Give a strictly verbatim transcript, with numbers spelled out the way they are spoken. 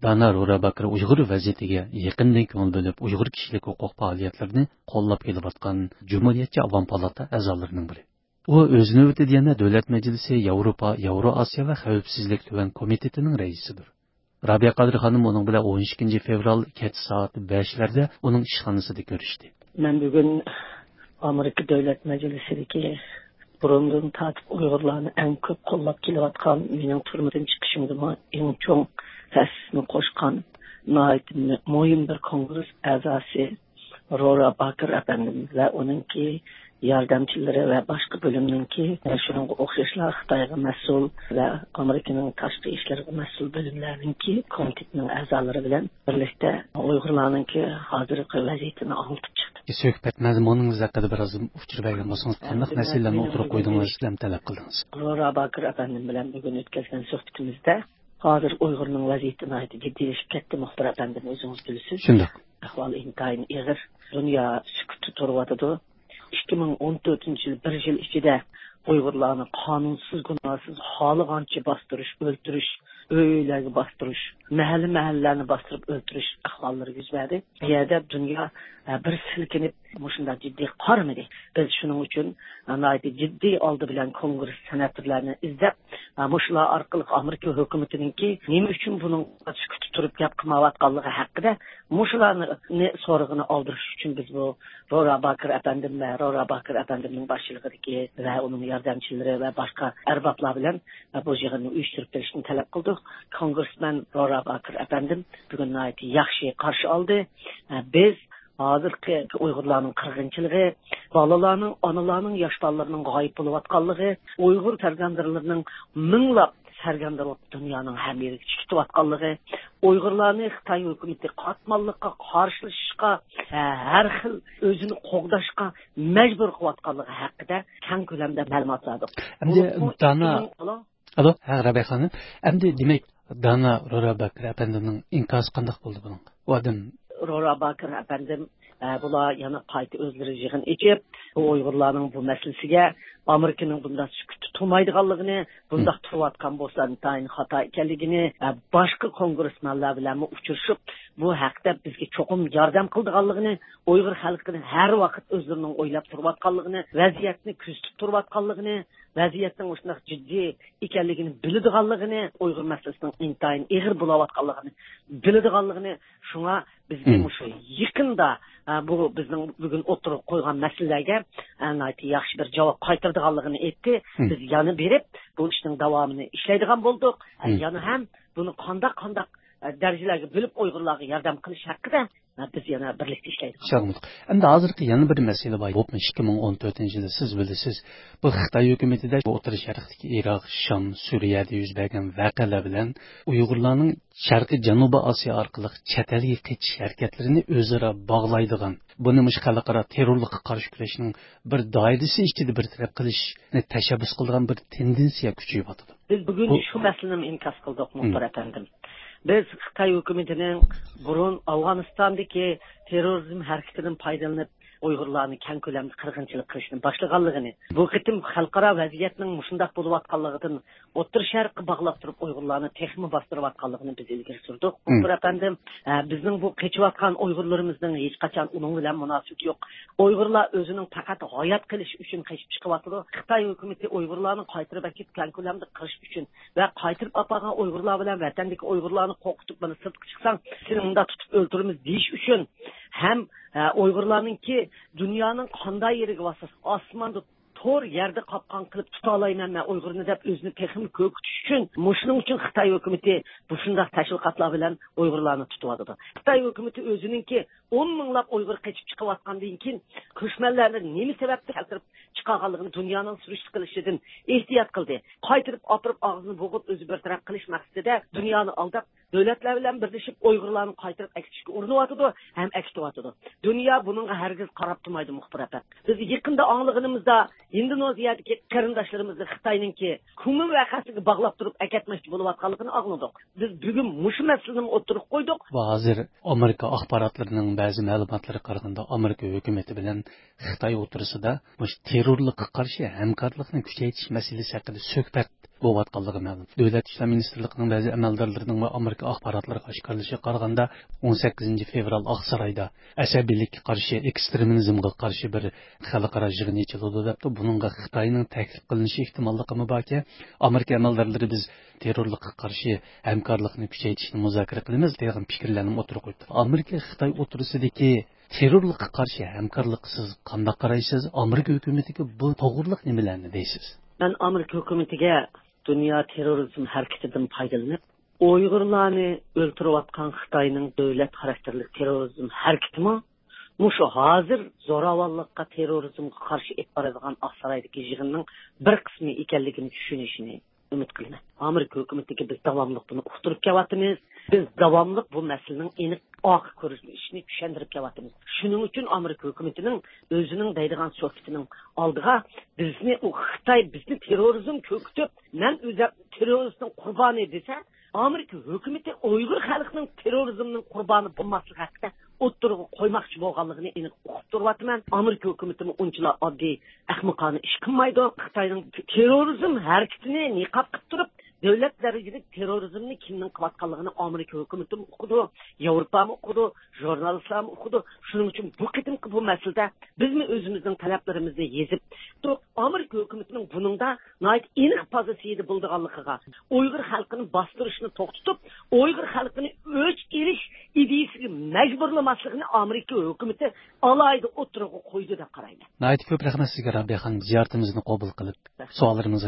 دانا رورا باكىر ئۇيغۇر ۋەزىيىتىگە يېقىندىن كۆڭۈل بۆلۈپ، ئۇيغۇر كىشىلىك ھوقۇق پائالىيەتلىرىنى قوللاپ كېلىۋاتقان جۇمھۇرىيەتچى ئاۋام پالاتا ئەزالىرىنىڭ بىرى. ئۇ ئۆز نۆۋىتىدە يەنە دۆلەت مەجلىسى ياۋروپا، ياۋرو ئاسىيا ۋە خەۋپسىزلىك تۆۋەن كومىتېتىنىڭ رەئىسىدۇر. رابىيە قادىر خانىم ئۇنىڭ بىلەن ئون ئىككىنچى فېۋرال كەچ سائەت بەشلەردە ئۇنىڭ ئىشخانىسىدا كۆرۈشتى. مەن بۈگۈن ئامېرىكا دۆلەت مەجلىسىدىكى بۇرۇندىن تارتىپ ئۇيغۇرلارنى ئەڭ كۆپ قوللاپ كېلىۋاتقان، مېنىڭ تۈرمىدىن چىقىشىمدىمۇ ئەڭ چوڭ ھەسسىسىنى قوشقان ناھايىتى مۇ-، مۇھىم بىر كونگرېس ئەزاسى رورا باكىر ئەپەندىم ۋە ئۇنىڭكى ياردەمچىلىرى ۋە باشقا بۆلۈمنىڭكى، شۇنىڭغا ئوخشاشلا خىتايغا مەسئۇل ۋە ئامېرىكىنىڭ تاشقى ئىشلىرىغا مەسئۇل بۆلۈملەرنىڭكى كومىتېتىنىڭ ئەزالىرى بىلەن بىرلىكتە ئۇيغۇرلارنىڭكى ھازىرقى ۋەزىيىتىنى ئاڭلىتىپ چىقتى. سۆھبەت مەزمۇنىڭىز ھەققىدە بىرئاز ئۇچۇر بەرگەن بولسىڭىز، قانداق مەسىلىلەرنى ئوتتۇرىغا قويدىڭىز ھەم تەلەپ قىلدىڭىز؟ رورا باكىر ئەپەندىم بىلەن بۈگۈن ئۆتكۈزگەن سۆھبىتىمىزدە ھازىر ئۇيغۇرنىڭ ۋەزىيىتى ناھايىتى جىددىيلىشىپ كەتتى، مۇخبىر ئەپەندىم، ئۆزىڭىز بىلىسىز. شۇنداق. ئەھۋال ئىنتايىن ئېغىر. دۇنيا سۈكۈتتە تۇرۇۋاتىدۇ. ئىككى مىڭ ئون تۆتىنچى يىل بىر يىل ئىچىدە ئۇيغۇرلارنى قانۇنسىز، گۇناھسىز، خالىغانچە باستۇرۇش، ئۆلتۈرۈش، ئۆي-ئۆيلەرگە باستۇرۇش، مەھەللە-مەھەللىلەرنى باستۇرۇپ ئۆلتۈرۈش ئەھۋاللىرى يۈز بەردى. بۇ يەردە دۇنيا، ئە، بىر سىلكىنىپ مۇشۇنداق جىددىي قارىمىدى. بىز شۇنىڭ ئۈچۈن، ئە، ناھايىتى جىددىي ئالدى بىلەن كونگرېس سېناتورلارنى ئىزدەپ، ئە، مۇشۇلار ئارقىلىق ئامېرىكا ھۆكۈمىتىنىڭكى نېمە ئۈچۈن بۇنىڭ سۈكۈتتە تۇرۇپ گەپ قىلمايۋاتقانلىقى ھەققىدە مۇشۇلارنى سورىقىنى ئالدۇرۇش ئۈچۈن بىز بۇ رورا باكىر ئەپەندىم ۋە رورا باكىر ئەپەندىمنىڭ باشچىلىقىدىكى ۋە ئۇنىڭ ياردەمچىلىرى ۋە باشقا ئەربابلار بىلەن بۇ يىغىننى ئۇيۇشتۇرۇپ بېرىشنى تەلەپ قىلدۇق. كونگرېسمېن رورا باكىر ئەپەندىم بۈگۈن ناھايىتى ياخشى قارشى ئالدى. بىز ھازىرقى ئۇيغۇرلارنىڭ قىرغىنچىلىقى، بالىلارنىڭ، ئانىلارنىڭ، ياش بالىلىرىنىڭ غايىب بولۇۋاتقانلىقى، ئۇيغۇر سەرگەردانلىرىنىڭ مىڭلاپ سەرگەردان بولۇپ دۇنيانىڭ ھەممە يېرىگە چىقىۋاتقانلىقى، ئۇيغۇرلارنى خىتاي ھۆكۈمىتى قاتماللىققا، قارشىلىشىشقا، ھە، ھەر خىل ئۆزىنى قوغداشقا مەجبۇر قىلىۋاتقانلىقى ھەققىدە كەڭ كۆلەمدە مەلۇمات بەردۇق. ئەمدى بولۇپمۇ دانا ئىككى مىڭ، ئالو؟ ئالو، ھە، رەبىيە خانىم. ئەمدى دېمەك، دانا رورا باكىر ئەپەندىمنىڭ ئىنكاسى قانداق بولدى بۇنىڭغا؟ ئۇ ئادەم رورا باكىر ئەپەندىم، ئە، بۇلار يەنە قايتا ئۆزلىرى يىغىن ئېچىپ، بۇ ئۇيغۇرلارنىڭ بۇ مەسىلىسىگە ئامېرىكىنىڭ بۇنداق سۈكۈتتە تۇرمايدىغانلىقىنى، بۇنداق تۇرۇۋاتقان بولسا ئىنتايىن خاتا ئىكەنلىكىنى، ئە، باشقا كونگرېسمېنلار بىلەنمۇ ئۇچرىشىپ، بۇ ھەقتە بىزگە چوقۇم ياردەم قىلىدىغانلىقىنى، ئۇيغۇر خەلقىنى ھەر ۋاقىت ئۆزلىرىنىڭ ئويلاپ تۇرۇۋاتقانلىقىنى، ۋەزىيەتنى كۆزىتىپ تۇرۇۋاتقانلىقىنى، ۋەزىيەتنىڭ مۇشۇنداق جىددىي ئىكەنلىكىنى بىلىدىغانلىقىنى، ئۇيغۇر مەسىلىسىنىڭ ئىنتايىن ئېغىر بولاۋاتقانلىقىنى بىلىدىغانلىقىنى، شۇڭا بىزگە مم. مۇشۇ يېقىندا، ئە، بۇ بىزنىڭ بۈگۈن ئوتتۇرىغا قويغان مەسىلىلەرگە، ئە، ناھايىتى ياخشى بىر جاۋاب قايتۇرىدىغانلىقىنى ئېيتتى. مم. بىز يەنە بېرىپ، بۇ ئىشنىڭ داۋامىنى ئىشلەيدىغان بولدۇق. ئە، مم. يەنە ھەم بۇنى قانداق، قانداق، ئە، دەرىجىلەرگە بۆلۈپ ئۇيغۇرلارغا ياردەم قىلىش ھەققىدە، ئە، بىز يەنە بىرلىكتە ئىشلەيدىغان بولدۇق. ئەمدى ھازىرقى يەنە بىر مەسىلە بار. بولۇپمۇ ئىككى مىڭ ئون تۆتىنچى يىلى سىز بىلىسىز، بۇ خىتاي ھۆكۈمىتىدە ئوتتۇرا شەرقتىكى ئىراق، شام، سۈرىيەدە يۈز بەرگەن ۋەقەلەر بىلەن ئۇيغۇرلارنىڭ شەرقىي جەنۇبىي ئاسىيا ئارقىلىق چەت ئەلگە قېچىش ھەرىكەتلىرىنى ئۆزئارا باغلايدىغان، بۇنى مۇشۇ خەلقئارا تېررورلۇققا قارشى كۈرەشنىڭ بىر دائىرىسى ئىچىدە بىر تەرەپ قىلىشنى تەشەببۇس قىلىدىغان بىر تېندېنسىيە كۈچىيىۋاتىدۇ. بىز بۈگۈن بۇ شۇ مەسىلىنىمۇ ئىنكاس قىلدۇق، مۇخبىر ئەپەندىم. بىز خىتاي ھۆكۈمىتىنىڭ بۇرۇن ئافغانىستاندىكى تېررورىزم ھەرىكىتىدىن پايدىلىنىپ، ئۇيغۇرلارنى كەڭ كۆلەمدە قىرغىنچىلىق قىلىشنى باشلىغانلىقىنى، بۇ قېتىم خەلقئارا ۋەزىيەتنىڭ مۇشۇنداق بولۇۋاتقانلىقىدىن ئوتتۇرا شەرققە باغلاپ تۇرۇپ ئۇيغۇرلارنى تېخىمۇ باستۇرۇۋاتقانلىقىنى بىز ئىلگىرى سۈردۇق. مم. مۇخبىر ئەپەندىم، ئە، بىزنىڭ بۇ قېچىۋاتقان ئۇيغۇرلىرىمىزنىڭ ھېچقاچان ئۇنىڭ بىلەن مۇناسىۋىتى يوق. ئۇيغۇرلار ئۆزىنىڭ پەقەت ھايات قېلىشى ئۈچۈن قېچىپ چىقىۋاتىدۇ. خىتاي ھۆكۈمىتى ئۇيغۇرلارنى قايتۇرۇپ ئەكېتىپ كەڭ كۆلەمدە قىرىش ئۈچۈن ۋە قايتۇرۇپ ئاپارغان ئۇيغۇرلار بىلەن ۋەتەندىكى ئۇيغۇرلارنى قورقۇتۇپ، مانا سىرتقا چىقساڭ سېنى مۇنداق تۇتۇپ ئۆلتۈرىمىز دېيىش ئۈچۈن ھەم، ئە، ئۇيغۇرلارنىڭكى دۇنيانىڭ قانداق يېرىگە بارسا ئاسماندا تور يەردە قاپقان قىلىپ تۇتالايمەن مەن ئۇيغۇرنى دەپ ئۆزىنى تېخىمۇ كۆركىتىش ئۈچۈن، مۇشۇنىڭ ئۈچۈن خىتاي ھۆكۈمىتى مۇشۇنداق تەشۋىقاتلار بىلەن ئۇيغۇرلارنى تۇتۇۋاتىدۇ. خىتاي ھۆكۈمىتى ئۆزىنىڭكى ئون مىڭلاپ ئۇيغۇر قېچىپ چىقىۋاتقاندىن كېيىن، كۆچمەنلەرنى نېمە سەۋەبتىن كەلتۈرۈپ چىقارغانلىقىنى دۇنيانىڭ سۈرۈشتە قىلىشىدىن ئېھتىيات قىلدى. قايتۇرۇپ ئاپىرىپ ئاغزىنى بوغۇپ ئۆزى بىر تەرەپ قىلىش مەقسىتىدە دۇنيانى ئالداپ، دۆلەتلەر بىلەن بىرلىشىپ ئۇيغۇرلارنى قايتۇرۇپ ئەكېتىشكە ئۇرۇنۇۋاتىدۇ ھەم ئەكېتىۋاتىدۇ. دۇنيا بۇنىڭغا ھەرگىز قاراپ تۇرمايدۇ، مۇخبىر ئەپەندى. بىز يېقىندا ئاڭلىغىنىمىزدا، ئىندونېزىيەدىكى قېرىنداشلىرىمىزنى خىتاينىڭكى كۇمىن ۋەقەسىگە باغلاپ تۇرۇپ ئەكەتمەكچى بولۇۋاتقانلىقىنى ئاڭلىدۇق. بىز بۈگۈن مۇشۇ مەسىلىنىمۇ ئوتتۇرىغا قويدۇق. ۋە ھازىر ئامېرىكا ئاخباراتلىرىنىڭ بەزى مەلۇماتلىرىغا قارىغاندا، ئامېرىكا ھۆكۈمىتى بىلەن خىتاي ئوتتۇرىسىدا مۇشۇ تېررورلۇققا قارشى ھەمكارلىقنى كۈچەيتىش مەسىلىسى ھەققىدە سۆھبەت بولۇۋاتقانلىقى مەلۇم. دۆلەت ئىشلار مىنىستىرلىقىنىڭ بەزى ئەمەلدارلىرىنىڭ ۋە ئامېرىكا ئاخباراتلارغا ئاشكارىلىشىغا قارىغاندا، ئون سەككىزىنچى فېۋرال ئاقسارايدا ئەسەبىيلىككە قارشى، ئېكسترېمىزمغا قارشى بىر خەلقئارا يىغىن ئېچىلىدۇ دەپتۇ. بۇنىڭغا خىتاينىڭ تەكلىپ قىلىنىشى ئېھتىماللىقىمۇ باركەن، ئامېرىكا ئەمەلدارلىرى بىز تېررورلۇققا قارشى ھەمكارلىقنى كۈچەيتىشنى مۇزاكىرە قىلىمىز دېگەن پىكىرلەرنى ئوتتۇرىغا قويۇپتۇ. ئامېرىكا خىتاي ئوتتۇرىسىدىكى تېررورلۇققا قارشى ھەمكارلىققا سىز قانداق قارايسىز؟ ئامېرىكا ھۆكۈمىتىگە بۇ توغرىلىق نېمىلەرنى دەيسىز؟ مەن ئامېرىكا ھۆكۈمىتىگە دۇنيا تېررورىزم ھەرىكىتىدىن پايدىلىنىپ، ئۇيغۇرلارنى ئۆلتۈرۈۋاتقان خىتاينىڭ دۆلەت خاراكتېرلىك تېررورىزم ھەرىكىتىمۇ مۇشۇ ھازىر زوراۋانلىققا، تېررورىزمغا قارشى ئېلىپ بارىدىغان ئاقسارايدىكى يىغىننىڭ بىر قىسمى ئىكەنلىكىنى چۈشىنىشىنى ئۈمىد قىلىمەن. ئامېرىكا ھۆكۈمىتىگە بىز داۋاملىق بۇنى ئۇقتۇرۇپ كېلىۋاتىمىز. بىز داۋاملىق بۇ مەسىلىنىڭ ئېنىق ئارقا كۆرۈنۈشىنى چۈشەندۈرۈپ كېلىۋاتىمىز. شۇنىڭ ئۈچۈن ئامېرىكا ھۆكۈمىتىنىڭ ئۆزىنىڭ دەيدىغان سۆھبىتىنىڭ ئالدىغا بىزنى، ئۇ خىتاي بىزنى تېررورىزم كۆكۈتۈپ، مەن ئۆزۈم تېررورىستنىڭ قۇربانى دېسە، ئامېرىكا ھۆكۈمىتى ئۇيغۇر خەلقىنىڭ تېررورىزمنىڭ قۇربانى بولماسلىقى ھەققىدە ئوتتۇرىغا قويماقچى بولغانلىقىنى ئېنىق ئۇقۇپ تۇرۇۋاتىمەن. ئامېرىكا ھۆكۈمىتىمۇ ئۇنچىلا ئاددىي ئەخمىقانە ئىش قىلمايدۇ. خىتاينىڭ تېررورىزم ھەرىكىتىنى نىقاب قىلىپ تۇرۇپ، دۆلەت دەرىجىلىك تېررورىزمنى كىمنىڭ قىلىۋاتقانلىقىنى ئامېرىكا ھۆكۈمىتىمۇ ئۇقىدۇ، ياۋروپامۇ ئۇقىدۇ، ژۇرنالىستلارمۇ ئۇقىدۇ. شۇنىڭ ئۈچۈن بۇ قېتىمقى بۇ مەسىلىدە بىزمۇ ئۆزىمىزنىڭ تەلەپلىرىمىزنى يېزىپ، ئامېرىكا ھۆكۈمىتىنىڭ بۇنىڭدا ناھايىتى ئېنىق پوزىتسىيىدە بولىدىغانلىقىغا، ئۇيغۇر خەلقىنى باستۇرۇشنى توختىتىپ، ئۇيغۇر خەلقىنى ئۆچ ئېلىش ئىدىيىسىگە مەجبۇرلىماسلىقىنى ئامېرىكا ھۆكۈمىتى ئالاھىدە ئوتتۇرىغا قويدى دەپ قارايمەن. ناھايىتى كۆپ رەھمەت سىزگە، رابىيە خانىم، زىيارىتىمىزنى قوبۇل قىلىپ، سوئاللىرىمىزغا